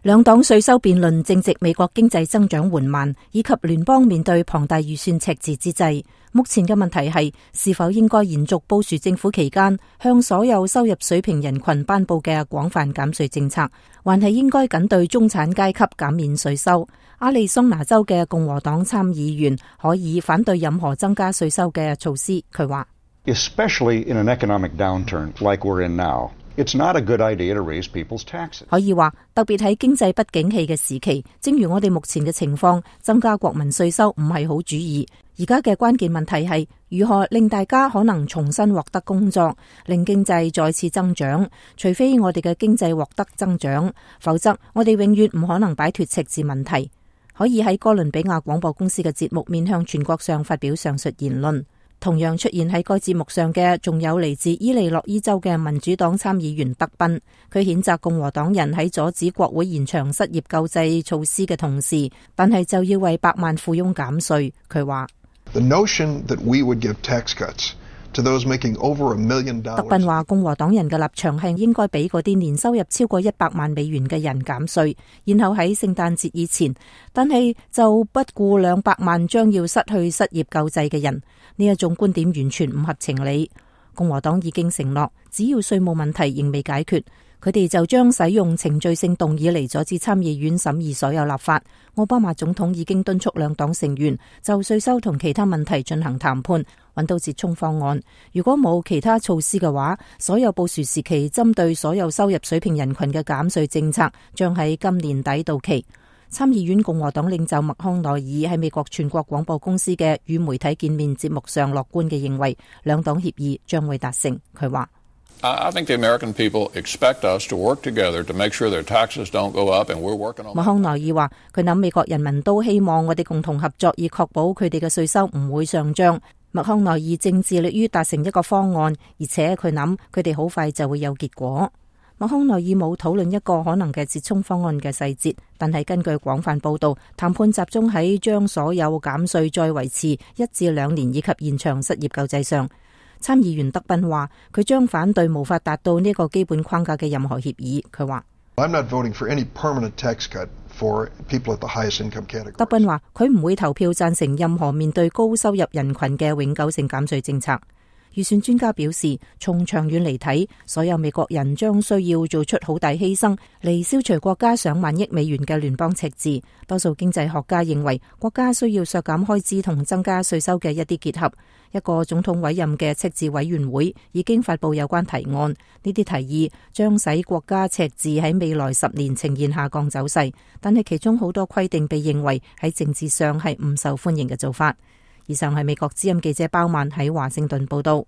兩黨稅收辯論正值美國經濟增長緩慢以及聯邦面對龐大預算赤字之際，目前嘅問題係是否應該延續布殊政府期間向所有收入水平人群頒布嘅廣泛減稅政策，還係應該僅對中產階級減免稅收。亞利桑那州嘅共和黨參議員可以反對任何增加稅收嘅措施。佢話 Especially in an economic downturn like we're in now, it's not a good idea to raise people's taxes. 可以話，特別喺經濟不景氣嘅時期，正如我哋目前嘅情況，增加國民稅收唔係好主意。而家嘅關鍵問題係如何令大家可能重新獲得工作，令經濟再次增長。除非我哋嘅經濟獲得增長，否則我哋永遠唔可能擺脫赤字問題。可以喺哥倫比亞廣播公司嘅節目面向全國上發表上述言論。同樣出現喺該節目上嘅，仲有嚟自伊利諾伊州嘅民主黨參議員德賓。佢譴責共和黨人喺阻止國會延長失業救濟措施嘅同時，但係就要為百萬富翁減稅。佢話The notion that we would give tax cuts to those making over $1 million。德賓話共和黨人嘅立場係應該俾嗰啲年收入超過100萬美元嘅人減稅，然後喺聖誕節以前，但係就不顧200萬將要失去失業救濟嘅人。呢一種觀點完全唔合情理。共和黨已經承諾，只要稅務問題仍未解決，佢哋就將使用程序性動議嚟阻止參議院審議所有立法。奧巴馬總統已經敦促兩黨成員就稅收同其他問題進行談判，揾到折衷方案。如果冇其他措施嘅話，所有布殊時期針對所有收入水平人群嘅減稅政策將喺今年底到期。參議院共和黨領袖麥康奈爾喺美國全國廣播公司嘅與媒體見面節目上樂觀嘅認為，兩黨協議將會達成。佢話I think the American people expect us to work together to make sure their taxes don't go up, and we're working on that. 麥康奈爾話，佢諗美國人民都希望我哋共同合作，以確保佢哋嘅稅收唔會上漲。麥康奈爾正致力於達成一個方案，而且佢諗佢哋好快就會有結果。麥康奈爾冇討論一個可能嘅折衷方案嘅細節，但係根據廣泛報道，談判集中喺將所有減稅再維持1至2年以及延長失業救濟上。參議員德賓話，佢將反對無法達到呢個基本框架嘅任何協議。佢話I'm not voting for any permanent tax cut for people at the highest income category. 德賓話，佢唔會投票贊成任何面對高收入人群嘅永久性減稅政策。預算專家表示，從長遠嚟睇，所有美國人將需要做出好大犧牲嚟消除國家上萬億美元嘅聯邦赤字。多數經濟學家認為，國家需要削減開支同增加稅收嘅一啲結合。一個總統委任嘅赤字委員會已經發布有關提案，呢啲提議將使國家赤字喺未來10年呈現下降走勢，但係其中好多規定被認為喺政治上係唔受歡迎嘅做法。以上係美國之音記者鮑曼喺華盛頓報道。